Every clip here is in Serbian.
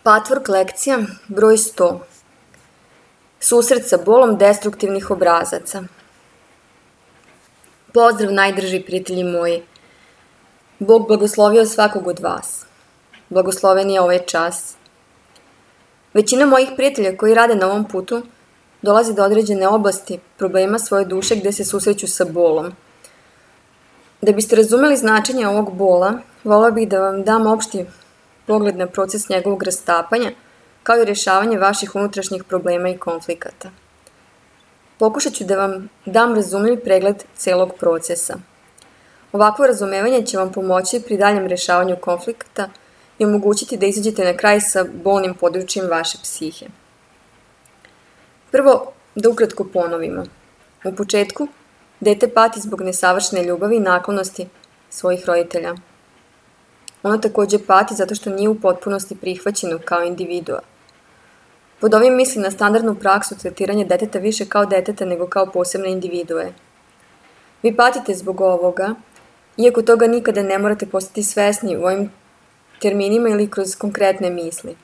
Patvork lekcija broj 100. Susret sa bolom destruktivnih obrazaca. Pozdrav najdrži prijatelji moji. Bog blagoslovio svakog od vas. Blagosloven je ovaj čas. Većina mojih prijatelja koji rade na ovom putu dolazi do određene oblasti problema svoje duše gde se susreću sa bolom. Da biste razumeli značenje ovog bola, volila bih da vam dam opšti pogled na proces njegovog rastapanja, kao i rješavanje vaših unutrašnjih problema i konflikata. Pokušat ću da vam dam razumljiv pregled celog procesa. Ovakvo razumevanje će vam pomoći pri daljem rješavanju konflikata i omogućiti da izađete na kraj sa bolnim područjem vaše psihe. Prvo, da ukratko ponovimo. U početku, dete pati zbog nesavršene ljubavi i naklonosti svojih roditelja. Ono takođe pati zato što nije u potpunosti prihvaćeno kao individua. Pod ovim mislim na standardnu praksu tretiranja deteta više kao deteta nego kao posebne individue. Vi patite zbog ovoga, iako toga nikada ne morate postati svesni u ovim terminima ili kroz konkretne misli.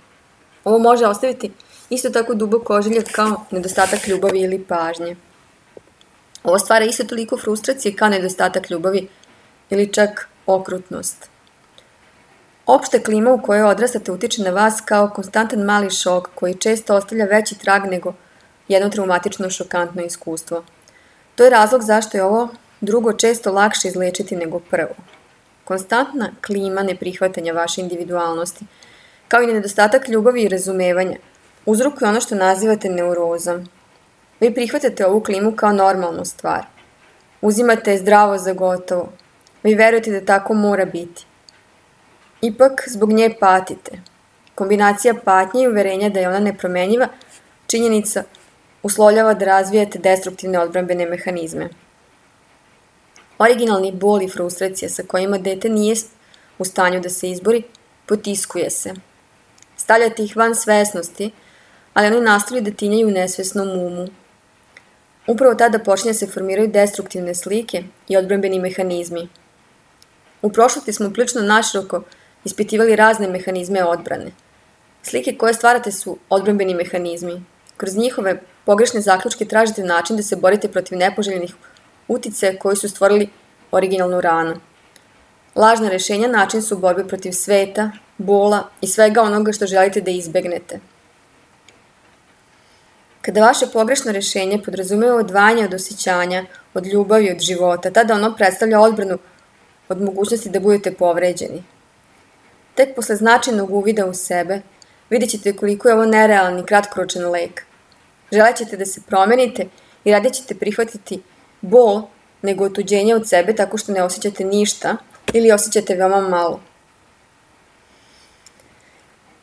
Ovo može ostaviti isto tako dubok ožiljak kao nedostatak ljubavi ili pažnje. Ovo stvara isto toliko frustracije kao nedostatak ljubavi ili čak okrutnost. Opšta klima u kojoj odrastate utiče na vas kao konstantan mali šok koji često ostavlja veći trag nego jedno traumatično šokantno iskustvo. To je razlog zašto je ovo drugo često lakše izlečiti nego prvo. Konstantna klima neprihvatanja vaše individualnosti, kao i nedostatak ljubavi i razumevanja, uzrokuje ono što nazivate neurozom. Vi prihvatate ovu klimu kao normalnu stvar. Uzimate je zdravo za gotovo. Vi verujete da tako mora biti. Ipak, zbog nje patite. Kombinacija patnje i uverenja da je ona nepromenjiva, činjenica uslovljava da razvijate destruktivne odbrambene mehanizme. Originalni bol i frustracija sa kojima dete nije u stanju da se izbori, potiskuje se. Stavljate ih van svesnosti, ali oni nastavljaju da tinjaju u nesvesnom umu. Upravo tada počinje se formiraju destruktivne slike i odbrambeni mehanizmi. U prošlosti smo prilično naširoko ispitivali razne mehanizme odbrane. Slike koje stvarate su odbrambeni mehanizmi. Kroz njihove pogrešne zaključke tražite način da se borite protiv nepoželjenih uticaja koji su stvorili originalnu ranu. Lažna rešenja način su borbe protiv sveta, bola i svega onoga što želite da izbegnete. Kada vaše pogrešno rešenje podrazumeva odvajanje od osjećanja, od ljubavi, od života, tada ono predstavlja odbranu od mogućnosti da budete povređeni. Tek posle značajnog uvida u sebe, vidjet ćete koliko je ovo nerealan i kratkoročan lek. Želet ćete da se promenite i radije ćete prihvatiti bol nego otuđenje od sebe tako što ne osjećate ništa ili osjećate veoma malo.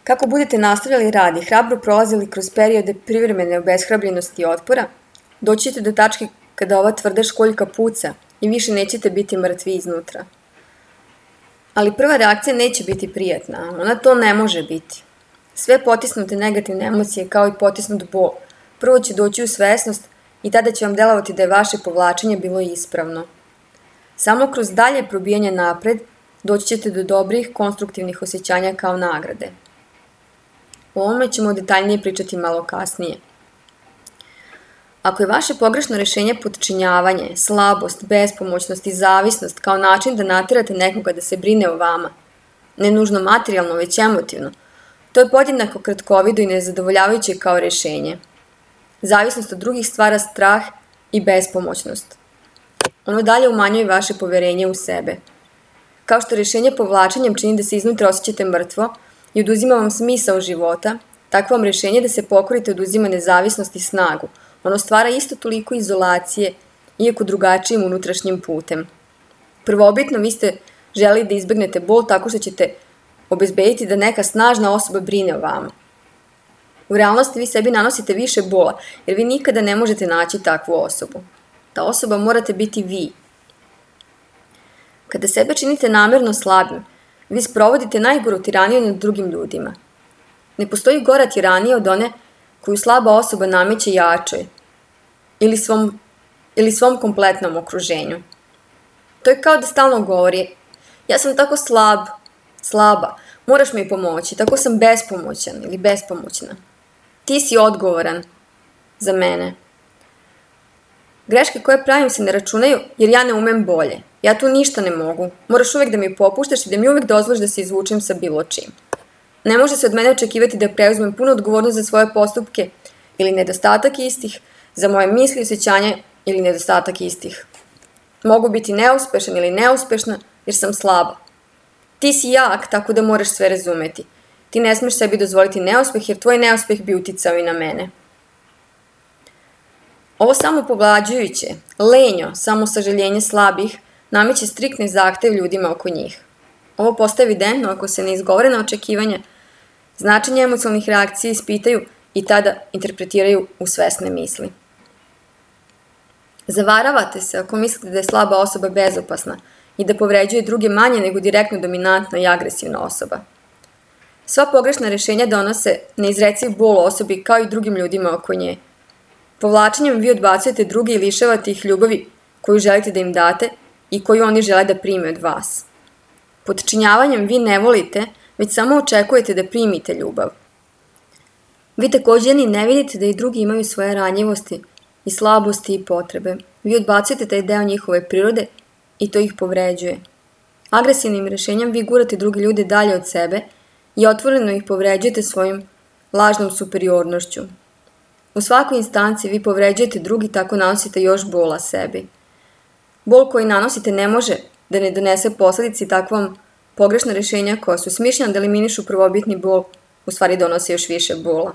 Kako budete nastavljali rad i hrabro prolazili kroz periode privremene obeshrabljenosti i otpora, doći ćete do tačke kada ova tvrda školjka puca i više nećete biti mrtvi iznutra. Ali prva reakcija neće biti prijatna, ona to ne može biti. Sve potisnute negativne emocije kao i potisnut bol, prvo će doći u svesnost i tada će vam delovati da je vaše povlačenje bilo ispravno. Samo kroz dalje probijanje napred doći ćete do dobrih, konstruktivnih osjećanja kao nagrade. O ovome ćemo detaljnije pričati malo kasnije. Ako je vaše pogrešno rešenje podčinjavanje, slabost, bespomoćnost i zavisnost kao način da naterate nekoga da se brine o vama, ne nužno materijalno, već emotivno, to je podjednako kratkovido i nezadovoljavajuće kao rešenje. Zavisnost od drugih stvara strah i bespomoćnost. Ono dalje umanjuje vaše poverenje u sebe. Kao što rešenje povlačenjem čini da se iznutra osjećate mrtvo i oduzima vam smisao života, tako vam rešenje da se pokorite oduzima nezavisnost i snagu. Ono stvara isto toliko izolacije, iako drugačijim unutrašnjim putem. Prvobitno vi ste želeli da izbegnete bol tako što ćete obezbediti da neka snažna osoba brine o vama. U realnosti vi sebi nanosite više bola, jer vi nikada ne možete naći takvu osobu. Ta osoba morate biti vi. Kada sebe činite namerno slabim, vi sprovodite najgoru tiraniju nad drugim ljudima. Ne postoji gora tiranija od one koju slaba osoba nameće jačoj ili svom kompletnom okruženju. To je kao da stalno govori, ja sam tako slaba, Moraš mi pomoći, tako sam bespomoćan ili bespomoćna. Ti si odgovoran za mene. Greške koje pravim se ne računaju jer ja ne umem bolje. Ja tu ništa ne mogu. Moraš uvek da mi popuštaš i da mi uvek dozvoliš da se izvučem sa bilo čim. Ne može se od mene očekivati da preuzmem punu odgovornost za svoje postupke ili nedostatak istih, za moje misli, osjećanja ili nedostatak istih. Mogu biti neuspešan ili neuspešna jer sam slaba. Ti si jak, tako da moraš sve razumeti. Ti ne smeš sebi dozvoliti neuspeh jer tvoj neuspeh bi uticao i na mene. Ovo samopovlađujuće, lenjo, samosažaljenje slabih nameće striktne zahteve ljudima oko njih. Ovo postaje evidentno ako se neizgovorena očekivanja, značenje emocionalnih reakcija ispitaju i tada interpretiraju u svesne misli. Zavaravate se ako mislite da je slaba osoba bezopasna i da povređuje druge manje nego direktno dominantna i agresivna osoba. Sva pogrešna rešenja donose neizreciv bol osobi kao i drugim ljudima oko nje. Povlačenjem vi odbacujete druge i lišavate ih ljubavi koju želite da im date i koju oni žele da prime od vas. Podčinjavanjem vi ne volite, već samo očekujete da primite ljubav. Vi također ni ne vidite da i drugi imaju svoje ranjivosti i slabosti i potrebe. Vi odbacujete taj deo njihove prirode i to ih povređuje. Agresivnim rešenjem vi gurate druge ljude dalje od sebe i otvoreno ih povređujete svojim lažnom superiornošću. U svakoj instanci vi povređujete drugi, tako nanosite još bola sebi. Bol koji nanosite ne može da ne donese posledici i tako vam pogrešna rešenja koja su smišljena da eliminišu prvobitni bol, u stvari donose još više bola.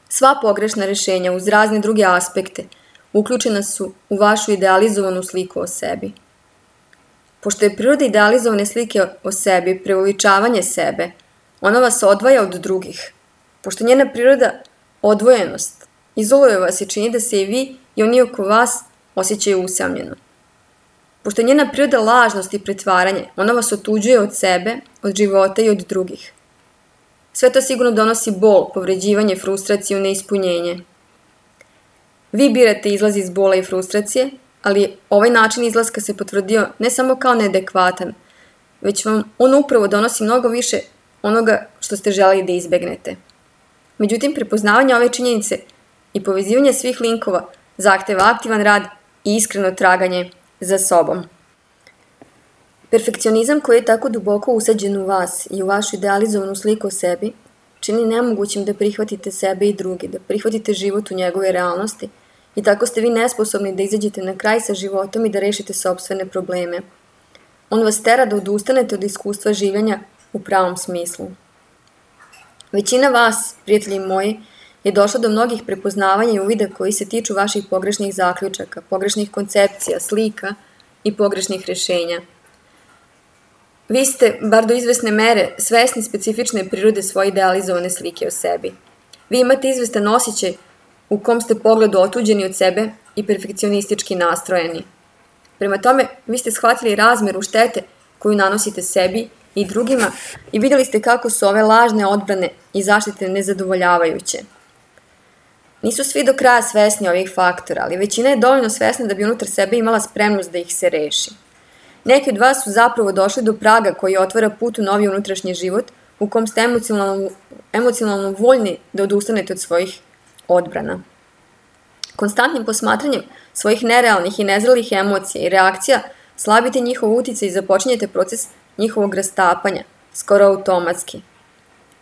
Sva pogrešna rešenja uz razne druge aspekte uključena su u vašu idealizovanu sliku o sebi. Pošto je priroda idealizovane slike o sebi preuveličavanje sebe, ona vas odvaja od drugih. Pošto njena priroda odvojenost izoluje vas i čini da se i vi i oni oko vas osjećaju usamljeno. Pošto je njena priroda lažnost i pretvaranje, ona vas otuđuje od sebe, od života i od drugih. Sve to sigurno donosi bol, povređivanje, frustraciju, neispunjenje. Vi birate izlaz iz bola i frustracije, ali ovaj način izlaska se potvrdio ne samo kao neadekvatan, već vam on upravo donosi mnogo više onoga što ste želeli da izbegnete. Međutim, prepoznavanje ove činjenice i povezivanje svih linkova zahteva aktivan rad i iskreno traganje za sobom. Perfekcionizam koji je tako duboko usađen u vas i u vašu idealizovanu sliku o sebi čini nemogućim da prihvatite sebe i druge, da prihvatite život u njegove realnosti i tako ste vi nesposobni da izađete na kraj sa životom i da rešite sopstvene probleme. On vas tera da odustanete od iskustva življenja u pravom smislu. Većina vas, prijatelji moji, je došla do mnogih prepoznavanja i uvida koji se tiču vaših pogrešnih zaključaka, pogrešnih koncepcija, slika i pogrešnih rešenja. Vi ste, bar do izvesne mere, svesni specifične prirode svoje idealizovane slike o sebi. Vi imate izvestan osjećaj u kom ste pogledu otuđeni od sebe i perfekcionistički nastrojeni. Prema tome, vi ste shvatili razmeru štete koju nanosite sebi i drugima i vidjeli ste kako su ove lažne odbrane i zaštite nezadovoljavajuće. Nisu svi do kraja svesni ovih faktora, ali većina je dovoljno svesna da bi unutar sebe imala spremnost da ih se reši. Neki od vas su zapravo došli do praga koji otvara put u novi unutrašnji život u kom ste emocionalno voljni da odustanete od svojih odbrana. Konstantnim posmatranjem svojih nerealnih i nezrelih emocija i reakcija slabite njihov uticaj i započinjete proces njihovog rastapanja, skoro automatski.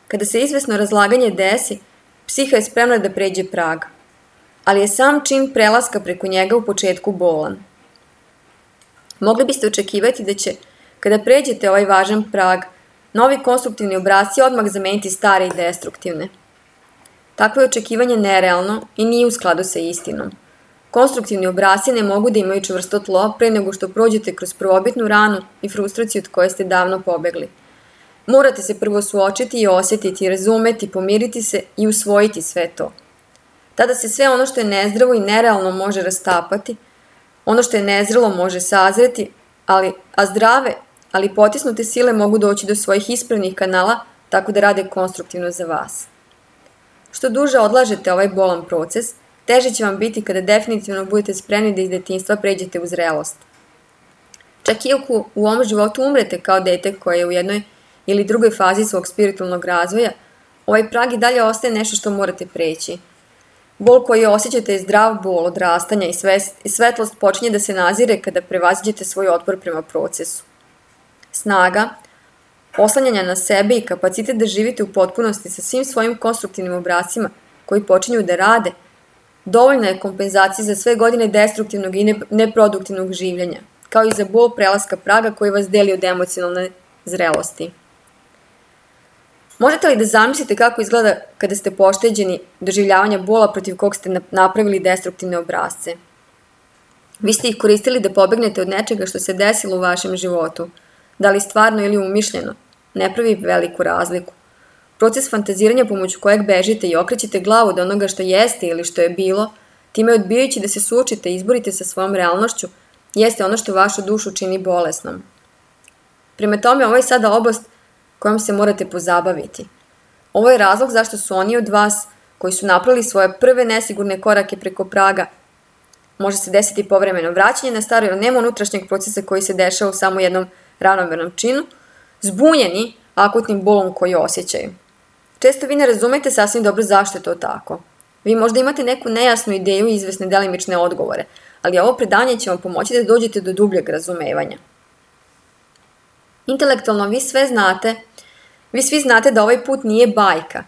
Kada se izvesno razlaganje desi, psiha je spremna da pređe prag, ali je sam čin prelaska preko njega u početku bolan. Mogli biste očekivati da će, kada pređete ovaj važan prag, novi konstruktivni obrasci odmah zameniti stare i destruktivne. Takvo je očekivanje nerealno i nije u skladu sa istinom. Konstruktivni obrasci ne mogu da imaju čvrsto tlo pre nego što prođete kroz prvobitnu ranu i frustraciju od koje ste davno pobegli. Morate se prvo suočiti i osjetiti, razumeti, pomiriti se i usvojiti sve to. Tada se sve ono što je nezdravo i nerealno može rastapati, ono što je nezrelo može sazreti, a zdrave, ali potisnute sile mogu doći do svojih ispravnih kanala tako da rade konstruktivno za vas. Što duže odlažete ovaj bolan proces, teže će vam biti kada definitivno budete spremni da iz detinjstva pređete u zrelost. Čak i ako u ovom životu umrete kao dete koje je u jednoj ili drugoj fazi svog spiritualnog razvoja, ovaj prag i dalje ostaje nešto što morate preći. Bol koji osjećate je zdrav bol odrastanja i svetlost počinje da se nazire kada prevaziđete svoj otpor prema procesu. Snaga, oslanjanja na sebe i kapacitet da živite u potpunosti sa svim svojim konstruktivnim obrascima koji počinju da rade, dovoljna je kompenzacija za sve godine destruktivnog i neproduktivnog življenja, kao i za bol prelaska praga koji vas deli od emocionalne zrelosti. Možete li da zamislite kako izgleda kada ste pošteđeni doživljavanja bola protiv kog ste napravili destruktivne obrasce? Vi ste ih koristili da pobegnete od nečega što se desilo u vašem životu, da li stvarno ili umišljeno, ne pravi veliku razliku. Proces fantaziranja pomoću kojeg bežite i okrećete glavu od onoga što jeste ili što je bilo, time odbijajući da se suočite i izborite sa svojom realnošću, jeste ono što vašu dušu čini bolesnom. Prema tome, ovo je sada oblast kojom se morate pozabaviti. Ovo je razlog zašto su oni od vas, koji su napravili svoje prve nesigurne korake preko praga, može se desiti povremeno vraćanje na staro jer nema unutrašnjeg procesa koji se dešava u samo jednom ravnomernom činu, zbunjeni akutnim bolom koji osjećaju. Često vi ne razumete sasvim dobro zašto je to tako. Vi možda imate neku nejasnu ideju i izvesne delimične odgovore, ali ovo predanje će vam pomoći da dođete do dubljeg razumevanja. Intelektualno vi svi znate da ovaj put nije bajka,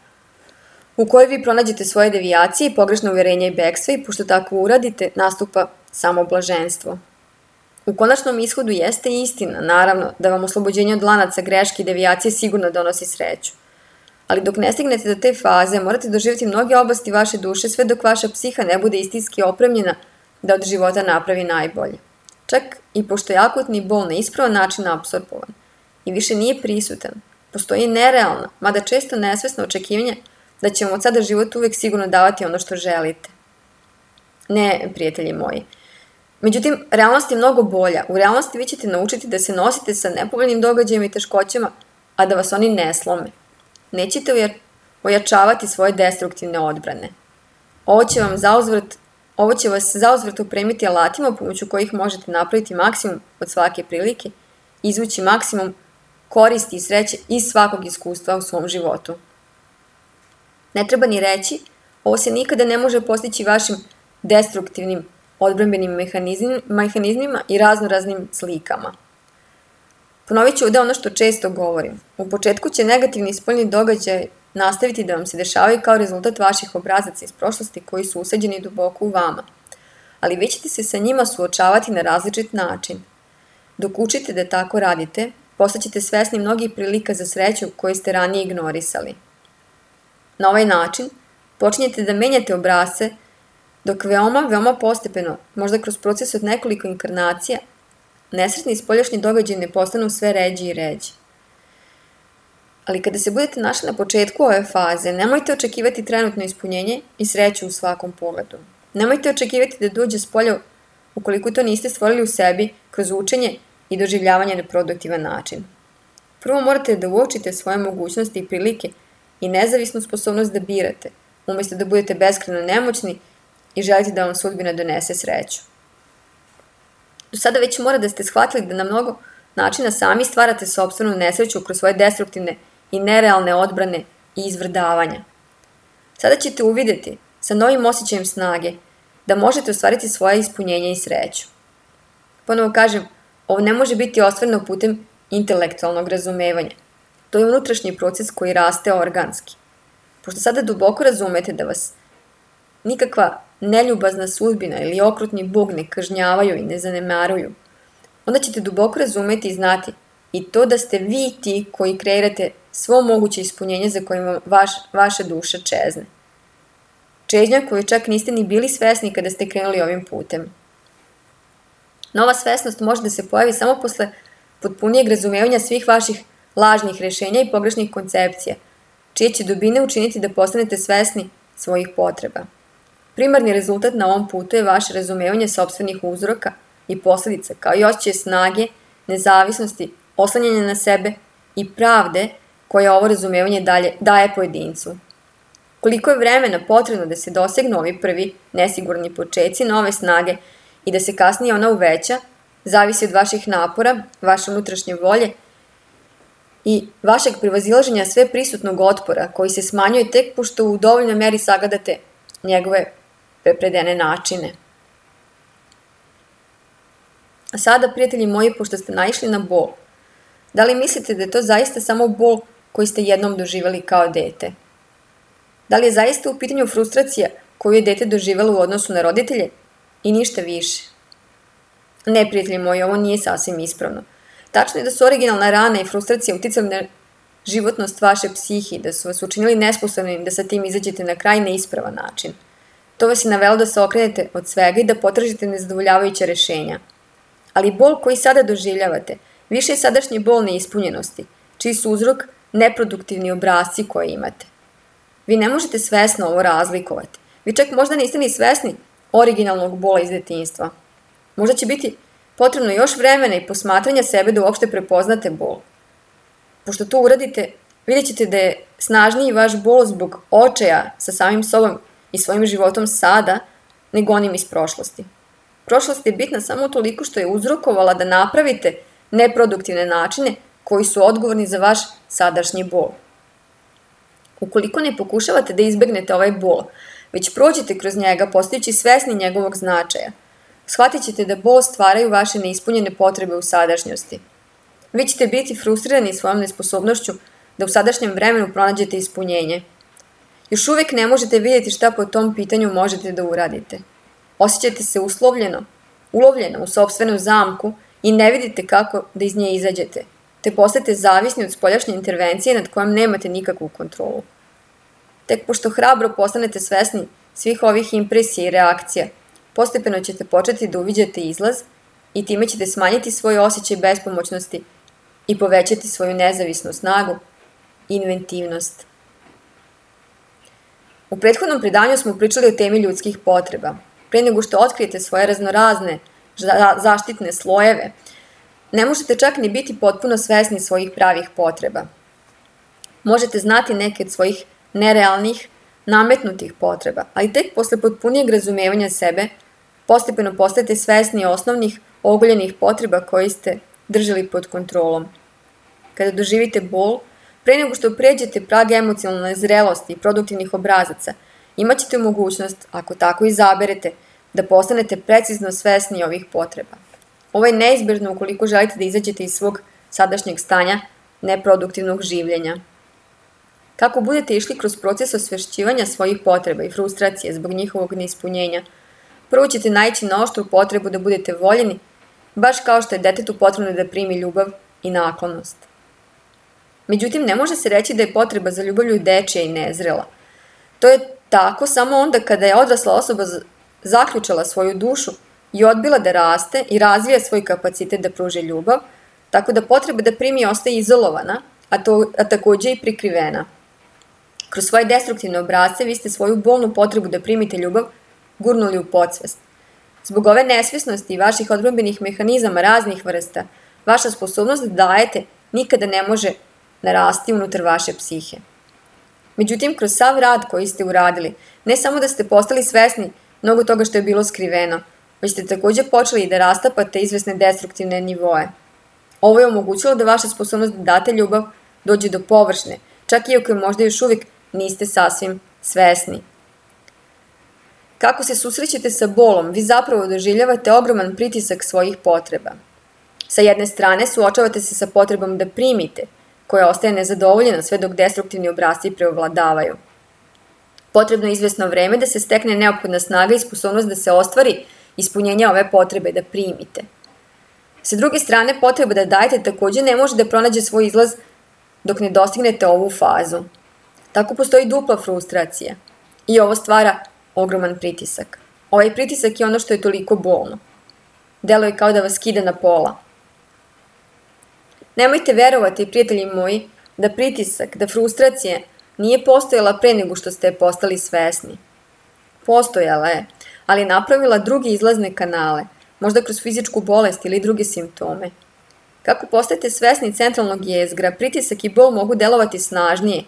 u kojoj vi pronađete svoje devijacije i pogrešno uverenja i bekstva i pošto tako uradite, nastupa samo blaženstvo. U konačnom ishodu jeste istina, naravno, da vam oslobođenje od lanaca, greške i devijacije sigurno donosi sreću. Ali dok ne stignete do te faze, morate doživjeti mnoge oblasti vaše duše sve dok vaša psiha ne bude istinski opremljena da od života napravi najbolje. Čak i pošto je akutni bol na ispravan način apsorbovan i više nije prisutan, postoji nerealna, mada često nesvesno očekivanje da će vam od sada život uvek sigurno davati ono što želite. Ne, prijatelji moji. Međutim, realnost je mnogo bolja. U realnosti vi ćete naučiti da se nosite sa nepovoljnim događajima i teškoćama, a da vas oni ne slome. Nećete ojačavati svoje destruktivne odbrane. Ovo će vas zauzvrat opremiti alatima pomoću kojih možete napraviti maksimum od svake prilike i izvući maksimum koristi i sreće iz svakog iskustva u svom životu. Ne treba ni reći, ovo se nikada ne može postići vašim destruktivnim odbrambenim mehanizmima i raznoraznim slikama. Ponovit ću ovde ono što često govorim. U početku će negativni spoljni događaj nastaviti da vam se dešavaju kao rezultat vaših obrazaca iz prošlosti koji su usađeni duboko u vama, ali vi ćete se sa njima suočavati na različit način. Dok učite da tako radite, postaćete svesni mnogih prilika za sreću koje ste ranije ignorisali. Na ovaj način počinjete da menjate obrasce dok veoma postepeno, možda kroz proces od nekoliko inkarnacija, nesretni i spoljašnji događaji ne postanu sve ređi i ređi. Ali kada se budete našli na početku ove faze, nemojte očekivati trenutno ispunjenje i sreću u svakom pogledu. Nemojte očekivati da dođe s polja ukoliko to niste stvorili u sebi kroz učenje i doživljavanje na produktivan način. Prvo morate da uočite svoje mogućnosti i prilike i nezavisnu sposobnost da birate, umjesto da budete beskrajno nemoćni i želite da vam sudbina donese sreću. Do sada već mora da ste shvatili da na mnogo načina sami stvarate sopstvenu nesreću kroz svoje destruktivne i nerealne odbrane i izvrdavanja. Sada ćete uvideti, sa novim osjećajem snage, da možete ostvariti svoje ispunjenje i sreću. Ponovo kažem, ovo ne može biti ostvareno putem intelektualnog razumevanja. To je unutrašnji proces koji raste organski. Pošto sada duboko razumete da vas nikakva neljubazna sudbina ili okrutni Bog ne kažnjavaju i ne zanemaruju, onda ćete duboko razumeti i znati i to da ste vi ti koji kreirate svo moguće ispunjenje za kojima vaša duša čezne. Čežnja koju čak niste ni bili svesni kada ste krenuli ovim putem. Nova svesnost može da se pojavi samo posle potpunijeg razumevanja svih vaših lažnih rešenja i pogrešnih koncepcija, čije će dubine učiniti da postanete svesni svojih potreba. Primarni rezultat na ovom putu je vaše razumevanje sopstvenih uzroka i posledica, kao i osjećaj snage, nezavisnosti, oslanjanja na sebe i pravde koja ovo razumevanje daje pojedincu. Koliko je vremena potrebno da se dosegnu ovi prvi nesigurni počeci nove snage i da se kasnije ona uveća, zavisi od vaših napora, vaše unutrašnje volje i vašeg prevazilaženja sve prisutnog otpora koji se smanjuje tek pošto u dovoljnoj meri sagledate njegove prepredene načine. A sada, prijatelji moji, pošto ste naišli na bol, da li mislite da je to zaista samo bol koji ste jednom doživjeli kao dete? Da li je zaista u pitanju frustracija koju je dete doživjelo u odnosu na roditelje i ništa više? Ne, prijatelji moji, ovo nije sasvim ispravno. Tačno je da su originalna rana i frustracija uticali na životnost vaše psihi, da su vas učinili nesposobnim da sa tim izađete na kraj na ispravan način. To vas je navelo da se okrenete od svega i da potražite nezadovoljavajuće rešenja. Ali bol koji sada doživljavate više je sadašnji bol neispunjenosti, čiji su uzrok neproduktivni obrasci koje imate. Vi ne možete svesno ovo razlikovati. Vi čak možda niste ni svesni originalnog bola iz detinjstva. Možda će biti potrebno još vremena i posmatranja sebe da uopšte prepoznate bol. Pošto to uradite, vidjet ćete da je snažniji vaš bol zbog očaja sa samim sobom i svojim životom sada, nego onim iz prošlosti. Prošlost je bitna samo toliko što je uzrokovala da napravite neproduktivne načine koji su odgovorni za vaš sadašnji bol. Ukoliko ne pokušavate da izbegnete ovaj bol, već prođete kroz njega postajući svesni njegovog značaja, shvatit ćete da bol stvaraju vaše neispunjene potrebe u sadašnjosti. Vi ćete biti frustrirani svojom nesposobnošću da u sadašnjem vremenu pronađete ispunjenje. Još uvijek ne možete vidjeti šta po tom pitanju možete da uradite. Osjećate se ulovljeno u sopstvenu zamku i ne vidite kako da iz nje izađete, te postajete zavisni od spoljašnje intervencije nad kojom nemate nikakvu kontrolu. Tek pošto hrabro postanete svesni svih ovih impresija i reakcija, postepeno ćete početi da uviđate izlaz i time ćete smanjiti svoj osjećaj bespomoćnosti i povećati svoju nezavisnu snagu i inventivnost. U prethodnom predanju smo pričali o temi ljudskih potreba. Pre nego što otkrijete svoje raznorazne zaštitne slojeve, ne možete čak ni biti potpuno svesni svojih pravih potreba. Možete znati neke od svojih nerealnih, nametnutih potreba, ali tek posle potpunijeg razumevanja sebe, postepeno postajete svesni osnovnih, ogoljenih potreba koje ste držali pod kontrolom. Kada doživite bol, pre nego što pređete prag emocionalne zrelosti i produktivnih obrazaca, imat ćete mogućnost, ako tako izaberete, da postanete precizno svesni ovih potreba. Ovo je neizbježno ukoliko želite da izađete iz svog sadašnjeg stanja neproduktivnog življenja. Kako budete išli kroz proces osvešćivanja svojih potreba i frustracije zbog njihovog neispunjenja, prvo ćete naići na oštru potrebu da budete voljeni, baš kao što je detetu potrebno da primi ljubav i naklonost. Međutim, ne može se reći da je potreba za ljubavlju dečija i nezrela. To je tako samo onda kada je odrasla osoba zaključala svoju dušu i odbila da raste i razvija svoj kapacitet da pruži ljubav, tako da potreba da primi ostaje izolovana, a takođe i prikrivena. Kroz svoje destruktivne obrasce vi ste svoju bolnu potrebu da primite ljubav gurnuli u podsvest. Zbog ove nesvesnosti i vaših odbrambenih mehanizama raznih vrsta, vaša sposobnost da dajete nikada ne može narasti unutar vaše psihe. Međutim, kroz sav rad koji ste uradili, ne samo da ste postali svesni mnogo toga što je bilo skriveno, već ste takođe počeli da rastapate izvesne destruktivne nivoe. Ovo je omogućilo da vaša sposobnost da date ljubav dođe do površne, čak i ako je možda još uvijek niste sasvim svesni. Kako se susrećete sa bolom, vi zapravo doživljavate ogroman pritisak svojih potreba. Sa jedne strane suočavate se sa potrebom da primite, koja ostaje nezadovoljena sve dok destruktivni obrasci preovladavaju. Potrebno je izvesno vreme da se stekne neophodna snaga i sposobnost da se ostvari ispunjenje ove potrebe da primite. Sa druge strane, potreba da dajete takođe ne može da pronađe svoj izlaz dok ne dostignete ovu fazu. Tako postoji dupla frustracija i ovo stvara ogroman pritisak. Ovaj pritisak je ono što je toliko bolno. Delo je kao da vas skida na pola. Nemojte verovati, prijatelji moji, da pritisak, da frustracija nije postojala pre nego što ste postali svesni. Postojala je, ali je napravila druge izlazne kanale, možda kroz fizičku bolest ili druge simptome. Kako postajete svesni centralnog jezgra, pritisak i bol mogu delovati snažnije,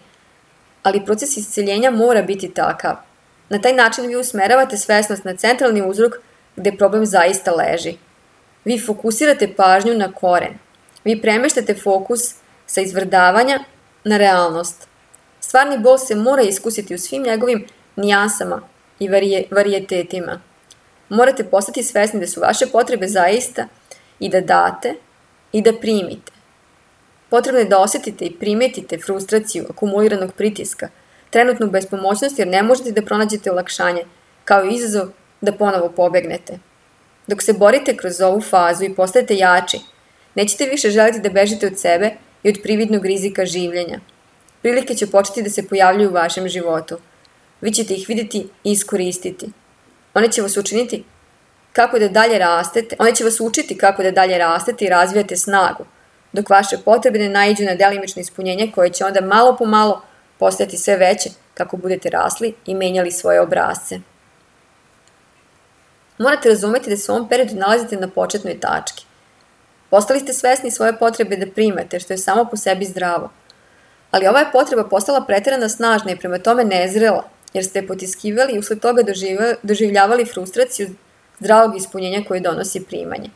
ali proces isceljenja mora biti takav. Na taj način vi usmeravate svesnost na centralni uzrok gde problem zaista leži. Vi fokusirate pažnju na koren. Vi premeštate fokus sa izvrdavanja na realnost. Stvarni bol se mora iskusiti u svim njegovim nijansama i varijetetima. Morate postati svesni da su vaše potrebe zaista i da date i da primite. Potrebno je da osetite i primetite frustraciju akumuliranog pritiska, trenutnu bespomoćnost jer ne možete da pronađete olakšanje, kao i izazov da ponovo pobegnete. Dok se borite kroz ovu fazu i postajete jači, nećete više želiti da bežite od sebe i od prividnog rizika življenja. Prilike će početi da se pojavljuju u vašem životu. Vi ćete ih vidjeti i iskoristiti. One će vas učiti kako da dalje rastete i razvijate snagu, dok vaše potrebe ne naiđu na delimično ispunjenje koje će onda malo po malo postajati sve veće kako budete rasli i menjali svoje obrasce. Morate razumeti da se u ovom periodu nalazite na početnoj tački. Postali ste svesni svoje potrebe da primate, što je samo po sebi zdravo. Ali ova je potreba postala preterano snažna i prema tome nezrela, jer ste je potiskivali i usled toga doživljavali frustraciju zdravog ispunjenja koje donosi primanje.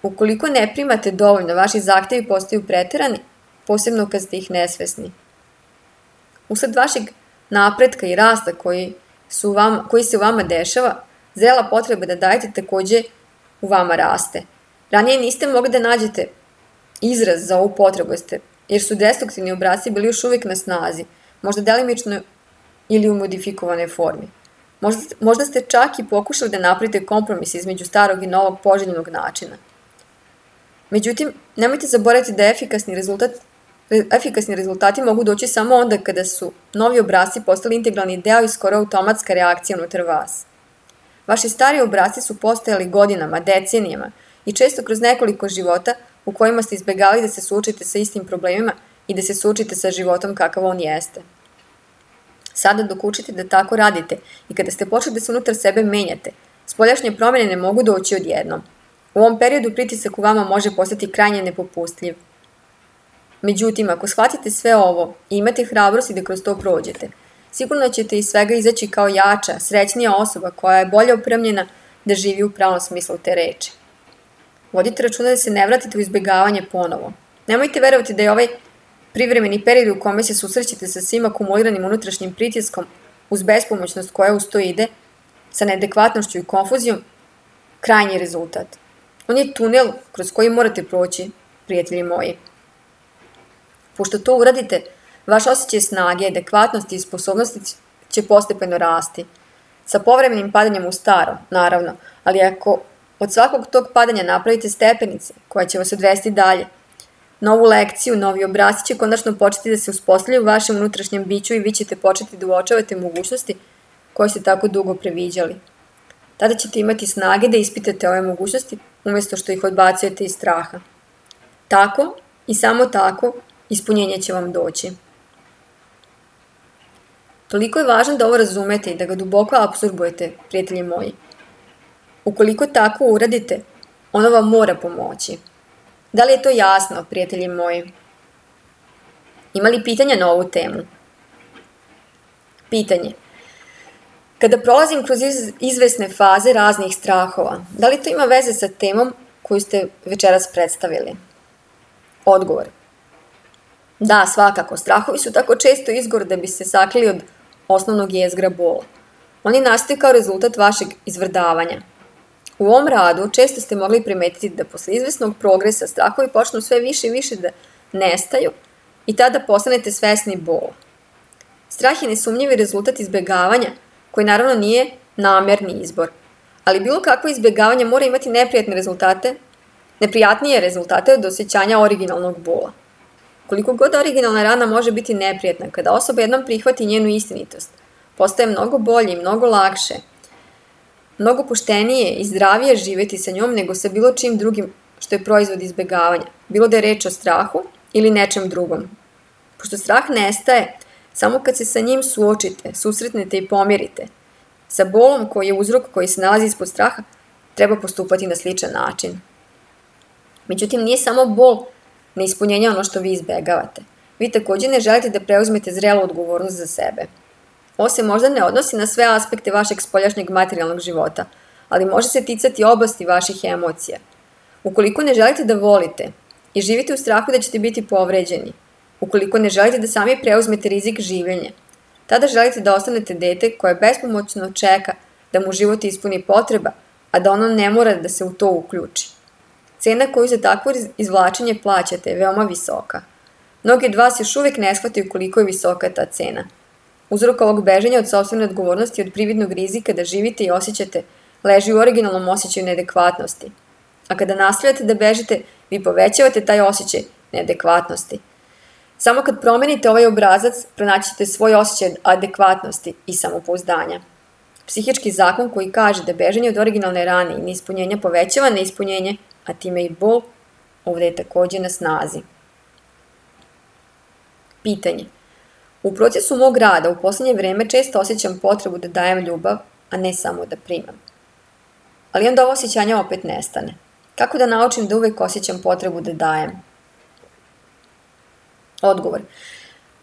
Ukoliko ne primate dovoljno, vaši zahtevi postaju preterani, posebno kad ste ih nesvesni. Usled vašeg napretka i rasta koji se u vama dešava, zrela potreba da dajete takođe u vama raste. Ranije niste mogli da nađete izraz za ovu potrebu, jer su destruktivni obrasci bili još uvijek na snazi, možda delimično ili u modifikovanoj formi. Možda ste čak i pokušali da napravite kompromis između starog i novog poželjnog načina. Međutim, nemojte zaboraviti da efikasni rezultati mogu doći samo onda kada su novi obrasci postali integralni deo i skoro automatska reakcija unutar vas. Vaši stari obrasci su postojali godinama, decenijama i često kroz nekoliko života u kojima ste izbjegavali da se suočite sa istim problemima i da se suočite sa životom kakav on jeste. Sada dok učite da tako radite i kada ste počeli da se unutar sebe menjate, spoljašnje promjene ne mogu doći odjednom. U ovom periodu pritisak u vama može postati krajnje nepopustljiv. Međutim, ako shvatite sve ovo i imate hrabrosti da kroz to prođete, sigurno ćete iz svega izaći kao jača, srećnija osoba koja je bolje opremljena da živi u pravom smislu te reči. Vodite računa da se ne vratite u izbjegavanje ponovo. Nemojte verovati da je ovaj privremeni period u kome se susrećete sa svim akumuliranim unutrašnjim pritiskom uz bespomoćnost koja uz to ide, sa neadekvatnošću i konfuzijom, krajnji rezultat. On je tunel kroz koji morate proći, prijatelji moji. Pošto to uradite, vaš osjećaj snage, adekvatnosti i sposobnosti će postepeno rasti. Sa povremenim padanjem u staro, naravno, ali ako od svakog tog padanja napravite stepenice koja će vas odvesti dalje, novu lekciju, novi obrasci će konačno početi da se uspostavljaju u vašem unutrašnjem biću i vi ćete početi da uočavate mogućnosti koje ste tako dugo previđali. Tada ćete imati snage da ispitate ove mogućnosti umjesto što ih odbacujete iz straha. Tako i samo tako ispunjenje će vam doći. Toliko je važno da ovo razumete i da ga duboko apsorbujete, prijatelji moji. Ukoliko tako uradite, ono vam mora pomoći. Da li je to jasno, prijatelji moji? Ima li pitanja na ovu temu? Pitanje. Kada prolazim kroz izvesne faze raznih strahova, da li to ima veze sa temom koju ste večeras predstavili? Odgovor. Da, svakako, strahovi su tako često izgovor da bi se sakrili od osnovnog jezgra bola. Oni nastaju kao rezultat vašeg izvrdavanja. U ovom radu često ste mogli primetiti da posle izvesnog progresa strahovi počnu sve više i više da nestaju i tada postanete svesni bola. Strah je nesumnjivi rezultat izbjegavanja, koji naravno nije namerni izbor, ali bilo kakvo izbjegavanje mora imati neprijatnije rezultate od osjećanja originalnog bola. Koliko god originalna rana može biti neprijatna, kada osoba jednom prihvati njenu istinitost, postaje mnogo bolje i mnogo lakše, mnogo poštenije i zdravije živjeti sa njom nego sa bilo čim drugim što je proizvod izbjegavanja, bilo da je reč o strahu ili nečem drugom. Pošto strah nestaje, samo kad se sa njim suočite, susretnete i pomirite, sa bolom koji je uzrok koji se nalazi ispod straha, treba postupati na sličan način. Međutim, nije samo bol neispunjenja ono što vi izbjegavate. Vi također ne želite da preuzmete zrelu odgovornost za sebe. Ovo se možda ne odnosi na sve aspekte vašeg spoljašnjeg materijalnog života, ali može se ticati oblasti vaših emocija. Ukoliko ne želite da volite i živite u strahu da ćete biti povređeni. Ukoliko ne želite da sami preuzmete rizik življenja, tada želite da ostanete dete koje bespomoćno čeka da mu život ispuni potreba, a da ono ne mora da se u to uključi. Cena koju za takvo izvlačenje plaćate je veoma visoka. Mnogi od vas još uvijek ne shvataju koliko je visoka ta cena. Uzrok ovog bežanja od sopstvene odgovornosti i od prividnog rizika da živite i osjećate leži u originalnom osjećaju neadekvatnosti. A kada nastavljate da bežite, vi povećavate taj osjećaj neadekvatnosti. Samo kad promenite ovaj obrazac, pronaći ćete svoj osjećaj adekvatnosti i samopouzdanja. Psihički zakon koji kaže da bežanje od originalne rane i neispunjenja povećava neispunjenje, a time i bol, ovdje je također na snazi. Pitanje. U procesu mog rada u posljednje vreme često osjećam potrebu da dajem ljubav, a ne samo da primam. Ali onda ovo osjećanje opet nestane. Kako da naučim da uvek osjećam potrebu da dajem? Odgovor.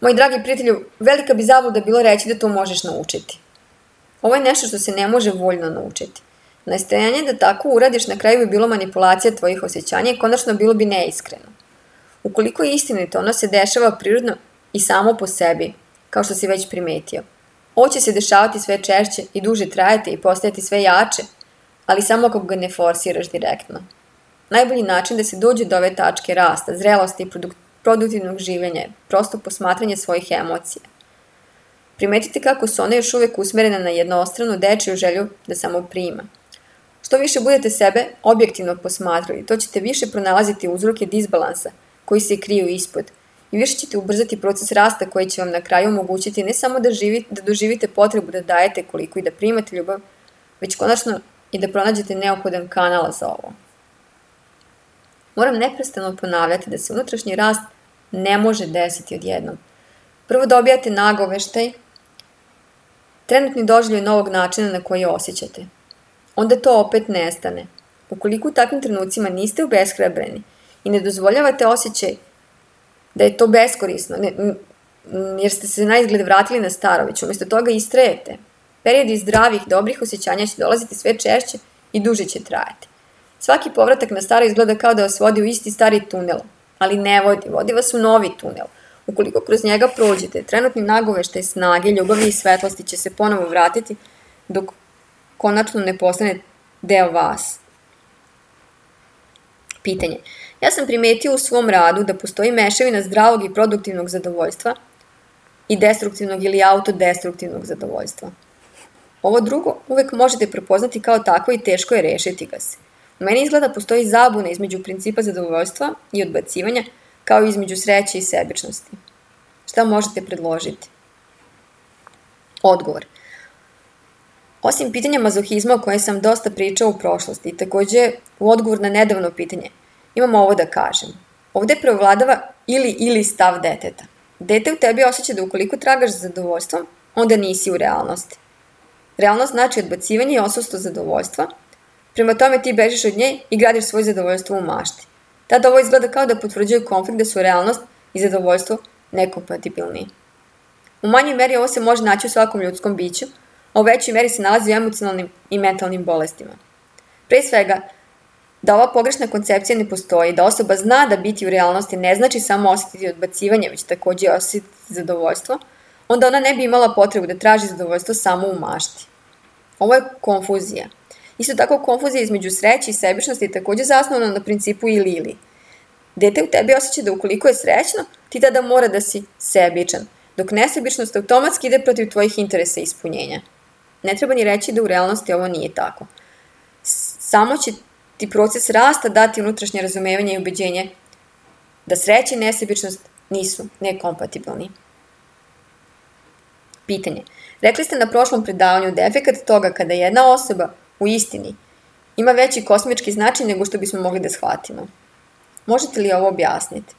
Moji dragi prijatelju, velika bi zabluda bilo reći da to možeš naučiti. Ovo je nešto što se ne može voljno naučiti. Nastojanje da tako uradiš na kraju bi bilo manipulacija tvojih osjećanja i konačno bilo bi neiskreno. Ukoliko je istinito, ono se dešava prirodno i samo po sebi, kao što si već primetio. Ovo će se dešavati sve češće i duže trajati i postajati sve jače, ali samo kako ga ne forsiraš direktno. Najbolji način da se dođe do ove tačke rasta, zrelosti i produktivnog življenja je prosto posmatranje svojih emocija. Primetite kako su one još uvijek usmerene na jednostranu dečiju želju da samo prima. Što više budete sebe objektivno posmatrali, to ćete više pronalaziti uzroke disbalansa koji se kriju ispod i više ćete ubrzati proces rasta koji će vam na kraju omogućiti ne samo da doživite potrebu da dajete koliko i da primate ljubav, već konačno i da pronađete neophodan kanal za ovo. Moram neprestano ponavljati da se unutrašnji rast ne može desiti odjednom. Prvo dobijate nagoveštaj, trenutni doživljaj novog načina na koji osjećate. Onda to opet nestane. Ukoliko u takvim trenucima niste obeshrabreni i ne dozvoljavate osjećaj da je to beskorisno, jer ste se na izgled vratili na staro, već umjesto toga istrajete. Periodi zdravih, dobrih osjećanja će dolaziti sve češće i duže će trajati. Svaki povratak na staro izgleda kao da vas vodi u isti stari tunel, ali ne vodi vas u novi tunel. Ukoliko kroz njega prođete, trenutni nagoveštaj snage, ljubavi i svetlosti će se ponovo vratiti dok konačno ne postane deo vas. Pitanje. Ja sam primetio u svom radu da postoji mešavina zdravog i produktivnog zadovoljstva i destruktivnog ili autodestruktivnog zadovoljstva. Ovo drugo uvek možete prepoznati kao takvo i teško je rešiti ga se. U meni izgleda postoji zabuna između principa zadovoljstva i odbacivanja, kao i između sreće i sebičnosti. Šta možete predložiti? Odgovor. Osim pitanja mazohizma o kojem sam dosta pričao u prošlosti i također u odgovor na nedavno pitanje, imam ovo da kažem. Ovdje preovladava ili stav deteta. Dete u tebi osjeća da ukoliko tragaš za zadovoljstvom, onda nisi u realnosti. Realnost znači odbacivanje i odsustvo zadovoljstva, prema tome ti bežiš od nje i gradiš svoje zadovoljstvo u mašti. Tada ovo izgleda kao da potvrđuje konflikt da su realnost i zadovoljstvo nekompatibilni. U manjoj meri ovo se može naći u svakom ljudskom biću, a u većoj meri se nalazi u emocionalnim i mentalnim bolestima. Pre svega, da ova pogrešna koncepcija ne postoji, da osoba zna da biti u realnosti ne znači samo osjetiti odbacivanje, već također osjetiti zadovoljstvo, onda ona ne bi imala potrebu da traži zadovoljstvo samo u mašti. Ovo je konfuzija. Isto tako konfuzija između sreće i sebičnosti je također zasnovana na principu ili. Dete u tebi osjeća da ukoliko je srećno, ti tada mora da si sebičan, dok nesebičnost automatski ide protiv tvojih interesa i ispunjenja. Ne treba ni reći da u realnosti ovo nije tako. Samo će ti proces rasta dati unutrašnje razumevanje i ubeđenje da sreća i nesebičnost nisu nekompatibilni. Pitanje. Rekli ste na prošlom predavanju da je efekat toga kada jedna osoba u istini ima veći kosmički značaj nego što bismo mogli da shvatimo. Možete li ovo objasniti?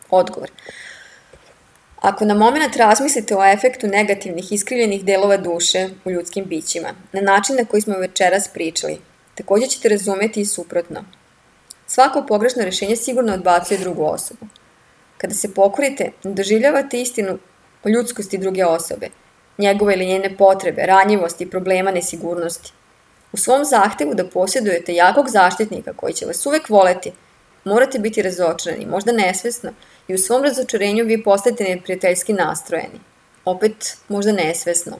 Odgovor. Ako na moment razmislite o efektu negativnih iskrivljenih delova duše u ljudskim bićima, na način na koji smo večeras pričali, također ćete razumjeti i suprotno. Svako pogrešno rješenje sigurno odbacuje drugu osobu. Kada se pokorite, ne doživljavate istinu o ljudskosti druge osobe, njegove ili njene potrebe, ranjivosti, problema, nesigurnosti. U svom zahtevu da posjedujete jakog zaštitnika koji će vas uvek voleti, morate biti razočarani, možda nesvesno, i u svom razočarenju vi postajete neprijateljski nastrojeni. Opet, možda nesvesno.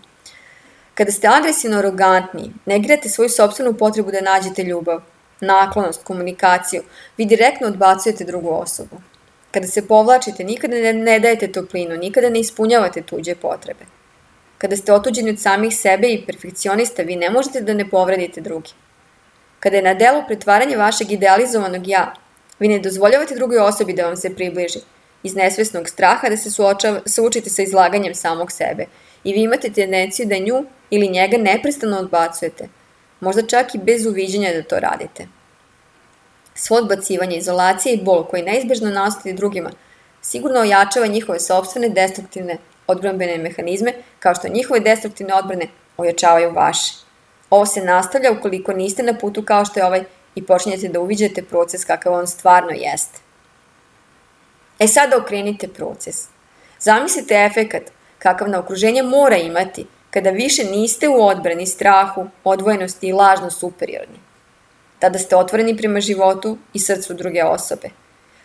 Kada ste agresivno arogantni, negirate svoju sopstvenu potrebu da nađete ljubav, naklonost, komunikaciju, vi direktno odbacujete drugu osobu. Kada se povlačite, nikada ne dajete toplinu, nikada ne ispunjavate tuđe potrebe. Kada ste otuđeni od samih sebe i perfekcionista, vi ne možete da ne povredite drugi. Kada je na delu pretvaranje vašeg idealizovanog ja, vi ne dozvoljavate drugoj osobi da vam se približi, iz nesvesnog straha da se suočite sa izlaganjem samog sebe i vi imate tendenciju da nju ili njega neprestano odbacujete, možda čak i bez uviđanja da to radite. Svo odbacivanje, izolacija i bol koji neizbežno nastaju drugima sigurno ojačava njihove sopstvene destruktivne odbrambene mehanizme, kao što njihove destruktivne odbrane ojačavaju vaše. Ovo se nastavlja ukoliko niste na putu kao što je ovaj i počinjete da uviđate proces kakav on stvarno jeste. Sada okrenite proces. Zamislite efekat kakav na okruženje mora imati kada više niste u odbrani, strahu, odvojenosti i lažno superiorni. Tada ste otvoreni prema životu i srcu druge osobe.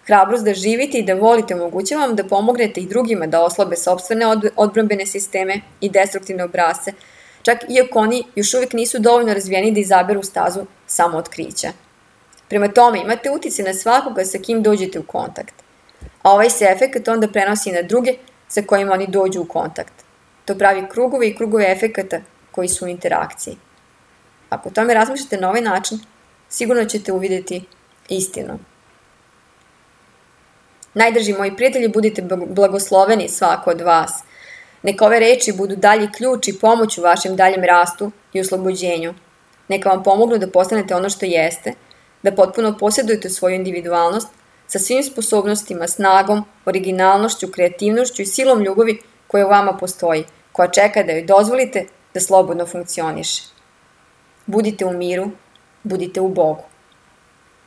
Hrabrost da živite i da volite omogućava vam da pomognete i drugima da oslabe sopstvene odbrambene sisteme i destruktivne obrasce, čak iako oni još uvijek nisu dovoljno razvijeni da izaberu stazu samootkrića. Prema tome, imate uticaj na svakoga sa kim dođete u kontakt, a ovaj se efekat onda prenosi na druge sa kojima oni dođu u kontakt. To pravi krugove i krugove efekata koji su u interakciji. Ako o tome razmišljate na ovaj način, sigurno ćete uvidjeti istinu. Najdrži moji prijatelji, budite blagosloveni svako od vas. Neka ove reči budu dalji ključ i pomoć u vašem daljem rastu i oslobođenju. Neka vam pomognu da postanete ono što jeste, da potpuno posjedujete svoju individualnost sa svim sposobnostima, snagom, originalnošću, kreativnošću i silom ljubavi koja u vama postoji, koja čeka da joj dozvolite da slobodno funkcioniše. Budite u miru, budite u Bogu.